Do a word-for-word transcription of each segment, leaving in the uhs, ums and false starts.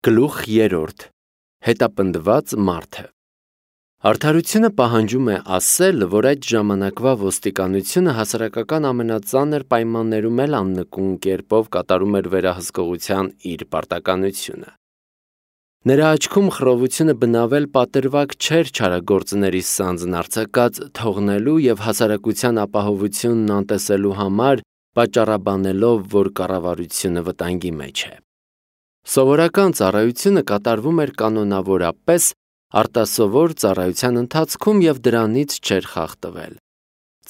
Գլուխ երրորդ. Հետապնդված մարդը։ Արդարությունը պահանջում է ասել, որ այդ ժամանակվա ոստիկանությունը հասարակական ամենածանր պայմաններում էլ աննկուն կերպով կատարում էր վերահսկողության իր պարտականությունը։ Նրա աչքում խռովությունը բնավել պատրվակ չէր չարագործների սանձն արձակած թողնելու և հասարակության ապահովությունն անտեսելու համար, պատճառաբանելով, որ կառավարությունը վտանգի մեջ է։ Սովորական ծառայությունը կատարվում էր կանոնավորապես, արտասովոր ծառայության ընթացքում և դրանից չէր խախտվել։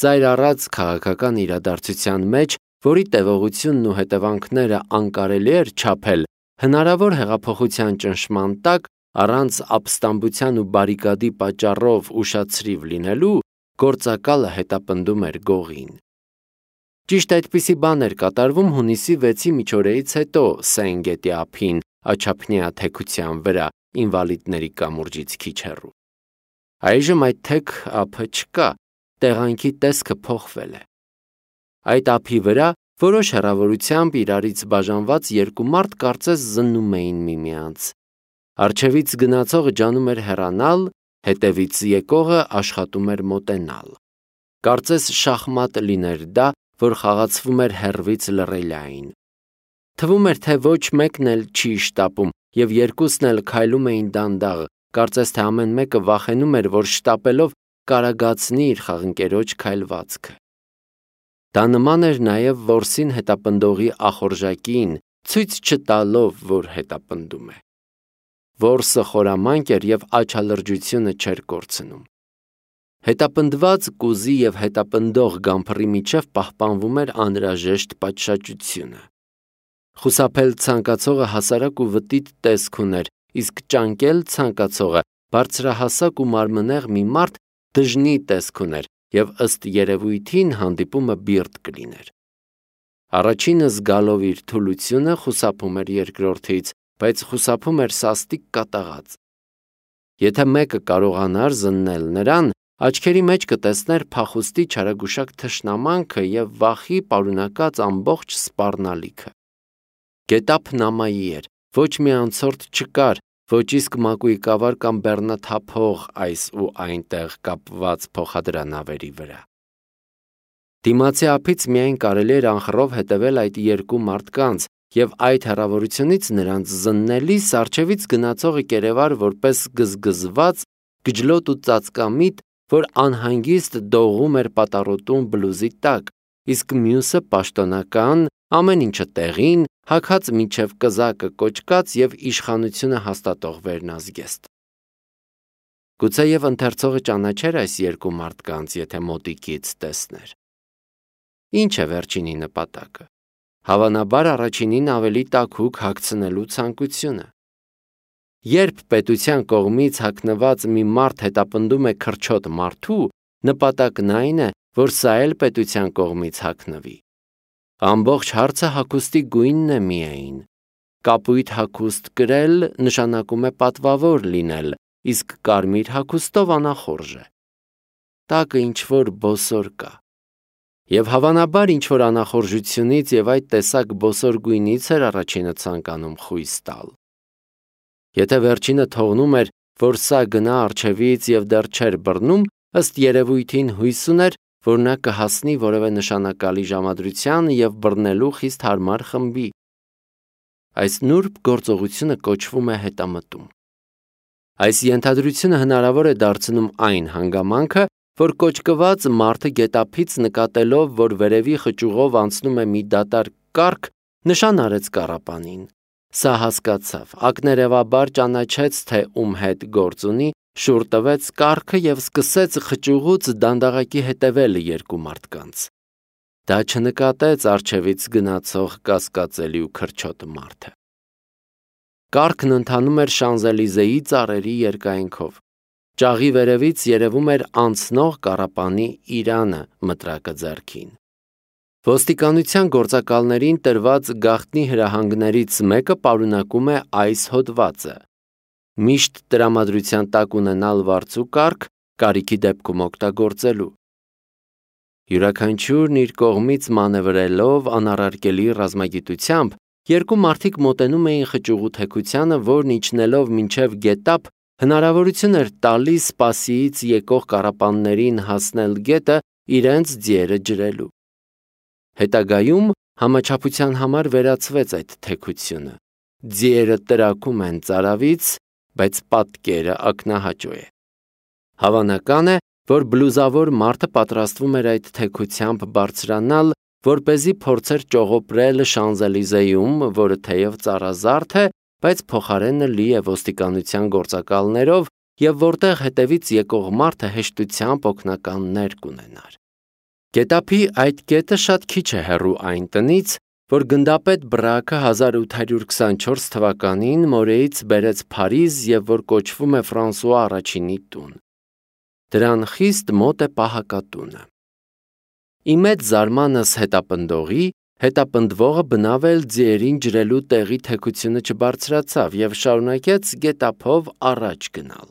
Ծայր առած քաղաքական իրադարձության մեջ, որի տևողությունն ու հետևանքները անկարելի էր չափել, հնարավոր հեղափոխության ճնշման տակ, առանց ապստամբության ու բարիկադի պատճառով ուշացրիվ լինելու, գործակալը հետապնդում էր գողին։ Ճիշտ այդպիսի բան էր կատարվում հունիսի վեցի միջօրեից հետո Սեն գետի ափին, աջափնյա թեքության վրա, ինվալիդների կամուրջից քիչ հեռու։ Այժմ այդ թեք ափը չկա, տեղանքի տեսքը փոխվել է։ Այդ ափի վրա որոշ հեռավորությամբ իրարից բաժանված երկու մարդ կարծես զննում էին միմյանց։ Առջևից գնացողը ջանում էր հեռանալ, հետևից եկողը աշխատում էր մոտենալ։ Կարծես շախմատ լիներ դա, որ խաղացվում էր հեռվից լռելիային։ Թվում էր, թե ոչ մեկն էլ չի շտապում, և երկուսն էլ քայլում էին դանդաղ, կարծես թե ամեն մեկը վախենում էր, որ շտապելով կարագացնի իր խաղընկերոջ քայլվածքը։ Դա նման էր նաև որսին հետապնդողի ախորժակին, ցույց չտալով, որ հետապնդում է։ Որսը խորամանկ էր և աչալրջությունը չէր կորցնում։ Հետապնդված կուզի և հետապնդող գամփռի միջև պահպանվում էր անհրաժեշտ պատշաճությունը։ Խուսափել ցանկացողը հասարակ ու վտիտ տեսք ուներ, իսկ ճանկել ցանկացողը բարձրահասակ ու մարմնեղ մի մարդ դժնի տեսք ուներ և ըստ երևույթին հանդիպումը բիրտ կլիներ։ Առաջինը զգալով իր թուլությունը խուսափում էր երկրորդից, բայց խուսափում էր սաստիկ կատաղած։ Եթե մեկը կարողանար զննել նրան, աչքերի մեջ կտեսներ փախուստի չարագուշակ թշնամանքը և վախի պարունակած ամբողջ սպառնալիքը։ Գետափն ամայի էր, ոչ մի անցորդ չկար, ոչ իսկ մակույկավար կամ բեռնաթափող այս ու այնտեղ կապված փոխադրանավերի վրա։ Դիմացի ափից միայն կարելի էր անխռով հետևել այդ երկու մարդկանց, և այդ հեռավորությունից նրանց զննելիս առջևից գնացողը կերևար որպես գզգզված, գջլոտ ու ծածկամիտ, որ անհանգիստ դողում էր պատառոտուն բլուզի տակ, իսկ մյուսը պաշտոնական, ամեն ինչը տեղին, հագած մինչև կզակը կոճկած և իշխանությունը հաստատող վերնազգեստ։ Գուցեև ընթերցողը ճանաչեր այս երկու մարդկանց, եթե մոտիկից տեսներ։ Ինչ է վերջինի նպատակը։ Հավանաբար առաջինին ավելի տաքուկ հագցնելու ցանկությունը։ Երբ պետության կողմից հագնված մի մարդ հետապնդում է քրչոտ մարդու, նպատակն այն է, որ սա էլ պետության կողմից հագնվի։ Ամբողջ հարցը հագուստի գույնն է միայն։ Կապույտ հագուստ կրել նշանակում է պատվավոր լինել, իսկ կարմիր հագուստով անախորժ է։ Տակը ինչ-որ բոսոր կա։ Եվ հավանաբար ինչ-որ անախորժությունից և այդ տեսակ բոսոր գույնից էր առաջինը ցանկանում խույս տալ։ Եթե վերջինը թողնում էր, որ սա գնա առջևից և դեռ չէր բռնում, ըստ երևույթին հույս ուներ, որ նա կհասնի որևէ նշանակալի ժամադրության և բռնելու խիստ հարմար խմբի։ Այս նուրբ գործողությունը կոչվում է հետամտում։ Այս ենթադրությունը հնարավոր է դարձնում այն հանգամանքը, որ կոճկված մարդը գետափից նկատելով, որ վերևի խճուղով անցնում է մի դատարկ կառք, նշան արեց կառապանին։ Սա հասկացավ, ակներևաբար ճանաչեց, թե ում հետ գործ ունի, շուռ տվեց կառքը և սկսեց խճուղուց դանդաղակի հետևել երկու մարդկանց։ Դա չնկատեց առջևից գնացող կասկածելի ու քրչոտ մարդը։ Կառքն ընթանում էր Շանզելիզեի ծառերի երկայնքով։ Ճաղի վերևից երևում էր անցնող կառապանի իրանը մտրակը ձեռքին։ Ոստիկանության գործակալներին տրված գաղտնի հրահանգներից մեկը պարունակում է այս հոդվածը. միշտ տրամադրության տակ ունենալ վարձու կառք, կարիքի դեպքում օգտագործելու։ Յուրաքանչյուրն իր կողմից մանևրելով անառարկելի ռազմագիտությամբ երկու մարդիկ մոտենում էին խճուղու թեքությանը, որն իջնելով մինչև գետափ հնարավորություն էր տալիս սպասիից եկող կառապաններին հասնել գետը իրենց ձիերը ջրելու։ Հետագայում համաչափության համար վերացվեց այդ թեքությունը։ Ձիերը տրակում են ծարավից, բայց պատկերը ակնահաճո է։ Հավանական է, որ բլուզավոր մարդը պատրաստվում էր այդ թեքությամբ բարձրանալ, որպեսզի փորձեր ճողոպրել Շանզելիզեում, որը թեև ծառազարդ է, բայց փոխարենը լի է ոստիկանության գործակալներով և որտեղ հետևից եկող մարդը հեշտությամբ օգնականներ կունենար։ Գետափի այդ կետը շատ քիչ է հեռու այն տնից, որ գնդապետ Բրակը հազար ութ հարյուր քսանչորս թվականին մորեից բերեց Փարիզ և որ կոչվում է Ֆրանսուଆ առաջինի տուն։ Դրան խիստ մոտ է պահակատունը։ Ի մեծ զարմանս հետապնդողի, հետապնդվողը բնավ էլ ձիերին ջրելու տեղի թեքությունը չբարձրացավ և շարունակեց գետափով առաջ գնալ։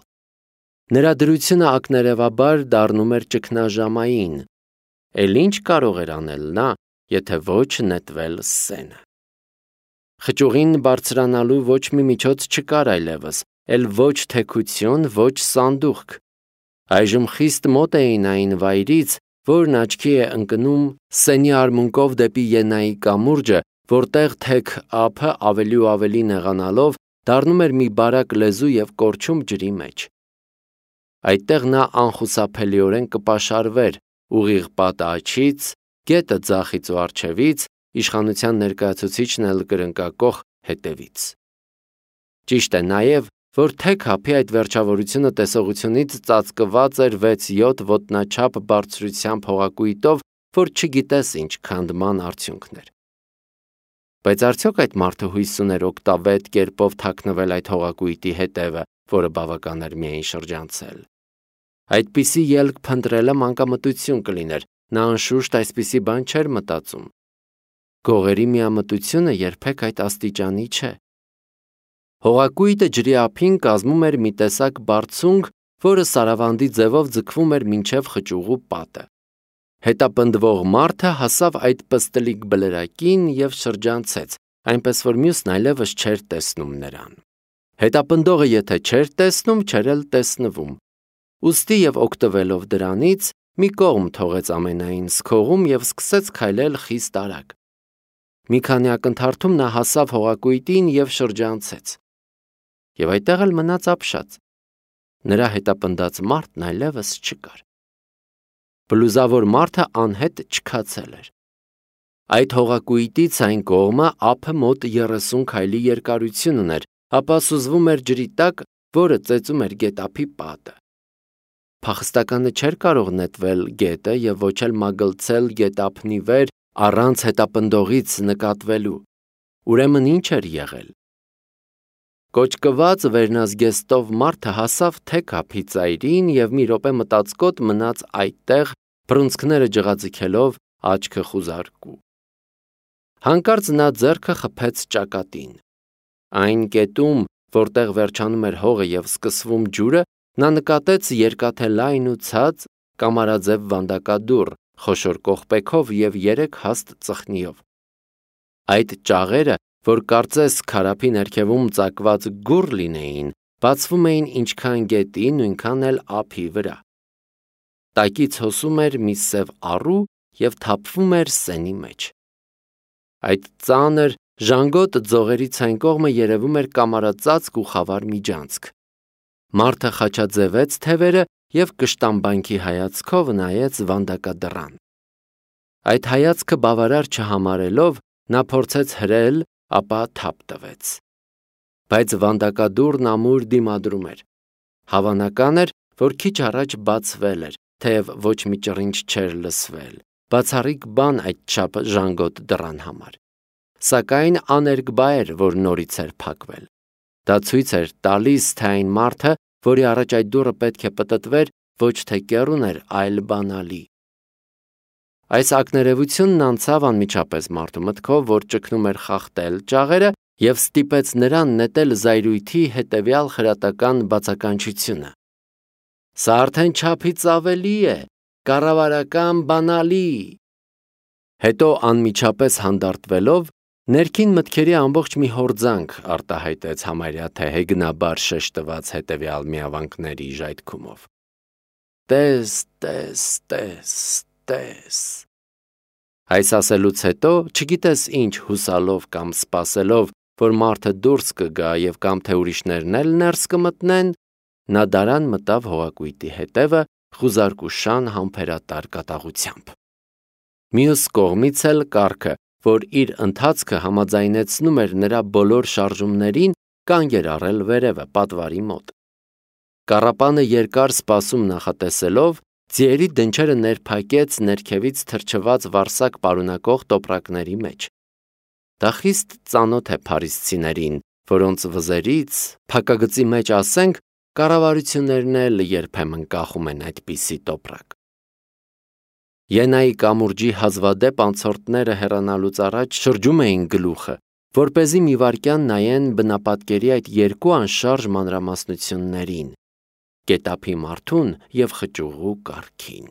Նրա դրությունը ակներևաբար դառնում էր ճգնաժամային, էլ ինչ կարող էր անել նա, եթե ոչ նետվել սենը։ Խճուղին բարձրանալու ոչ մի միջոց չկար այլևս, էլ ոչ թեքություն, ոչ սանդուղք։ Այժմ խիստ մոտ էին այն վայրից, որն աչքի է ընկնում սենի արմունկով դեպի Ենայի կամուրջը, որտեղ թեք ափը ավելի ու ավելի նեղանալով դառնում էր մի բարակ լեզու և կորչում ջրի մեջ։ Այդտեղ նա անխուսափելիորեն կպաշարվեր ուղիղ պատը աջից, գետը ձախից ու առջևից, իշխանության ներկայացուցիչն էլ կրնկակոխ հետևից։ Ճիշտ է նաև, որ թեք ափի այդ վերջավորությունը տեսողությունից ծածկված էր վեց-յոթ ոտնաչափ բարձրությամբ հողակույտով, որ չգիտես ինչ քանդման արդյունքներ։ Բայց արդյոք այդ մարդը հույս ուներ օգտավետ կերպով թաքնվել այդ հողակույտի հետևը, որը բավական էր միայն շրջանցել։ Այդպիսի ելք փնտրելը մանկամտություն կլիներ, նա անշուշտ այսպիսի բան չէր մտածում։ Գողերի միամտությունը երբեք այդ աստիճանի չէ։ Հողակույտը ջրի ափին կազմում էր մի տեսակ բարձունք, որը սարավանդի ձևով ձգվում էր մինչև խճուղու պատը։ Հետապնդվող մարդը հասավ այդ պստլիկ բլրակին և շրջանցեց, այնպես որ մյուսն այլևս չէր տեսնում նրան։ Հետապնդողը եթե չէր տեսնում, չէր էլ տեսնվում։ Ուստի և օգտվելով դրանից, մի կողմ թողեց ամենայն սկողում և սկսեց քայլել խիստ արագ։ Մի քանի ակնթարթում նա հասավ հողակույտին և շրջանցեց։ Եվ այդտեղ էլ մնաց ապշած։ Նրա հետապնդած մարդն այլևս չկար։ Բլուզավոր մարդը անհետ չքացել էր։ Այդ հողակույտից այն կողմը ափը մոտ երեսուն քայլի երկարություն ուներ, ապա սուզվում էր ջրի տակ, որը ծեծում էր գետափի պատը։ Փախստականը չէր կարող նետվել գետը և ոչ էլ մագլցել գետափնի վեր առանց հետապնդողից նկատվելու։ Ուրեմն ինչ էր եղել։ Կոճկված վերնազգեստով մարդը հասավ թեք ափի ծայրին և մի րոպե մտածկոտ մնաց այդտեղ, բռունցքները ջղաձգելով, աչքը խուզարկու։ Հանկարծ նա ձեռքը խփեց ճակատին։ Այն կետում, որտեղ վերջանում էր հողը և սկսվում ջուրը, նա նկատեց երկաթե լայն ու ցած կամարաձև վանդակադուռ, խոշոր կողպեքով և երեք հաստ ծխնիով։ Այդ ճաղերը, որ կարծես քարափի ներքևում ծակված գուռ լինեին, բացվում էին ինչքան գետի, նույնքան էլ ափի վրա։ Տակից հոսում էր մի սև առու և թափվում էր սենի մեջ։ Այդ ծանր, ժանգոտ ձողերից այն կողմը երևում էր կամարածածկ ու խավար միջանցք։ Մարդը խաչաձևեց թևերը և կշտամբանքի հայացքով նայեց վանդակադռան։ Այդ հայացքը բավարար չհամարելով, նա փորձեց հրել, ապա թափ տվեց։ Բայց վանդակադուռն ամուր դիմադրում էր։ Հավանական էր, որ քիչ առաջ բացվել էր, թեև ոչ մի ճռինչ չէր լսվել, բացառիկ բան այդչափ ժանգոտ դռան համար։ Սակայն աներկբա էր, որ նորից էր փակվել։ Դա ցույց էր տալիս, թե այն մարդը, որի առաջ այդ դուռը պետք է պտտվեր, ոչ թե կեռուն էր, այլ բանալի։ Այս ակներևությունն անցավ անմիջապես մարդու մտքով, որ ճգնում էր խախտել ճաղերը և ստիպեց նրան նետել զայրույթի հետևյալ խրատական բացականչությունը. «Սա արդեն չափից ավելի է, կառավարական բանալի»։ Հետո անմիջապես հանդարտվելով, Ներքին մտքերի ամբողջ մի հորձանք արտահայտեց համարյա թե հեգնաբար շեշտված հետևյալ միավանքների ժայթքումով. «Տես, տես, տես, տես»։ Այս ասելուց հետո, չգիտես ինչ հուսալով կամ սպասելով, որ մարդը դուրս կգա և կամ թե ուրիշներն էլ ներս կմտնեն, նա դարան մտավ հողակույտի հետևը խուզարկուշան համբերատար կատաղությամբ։ Մյուս կողմից էլ կառքը, որ իր ընթացքը համաձայնեցնում էր նրա բոլոր շարժումներին, կանգ էր առել վերևը պատվարի մոտ։ Կառապանը երկար սպասում նախատեսելով, ձիերի դնչերը ներփակեց ներքևից թրջված վարսակ պարունակող տոպրակների մեջ։ Դա խիստ ծանոթ է փարիսցիներին, որոնց վզերից, փակագծի մեջ ասենք, կառավարություններն էլ երբեմն կախում են այդպիսի տոպրակ։ Ենայի կամուրջի հազվադեպ անցորդները հեռանալուց առաջ շրջում էին գլուխը, որպեսզի մի վայրկյան նայեն բնապատկերի այդ երկու անշարժ մանրամասնություններին՝ գետափի մարդուն և խճուղու կառքին։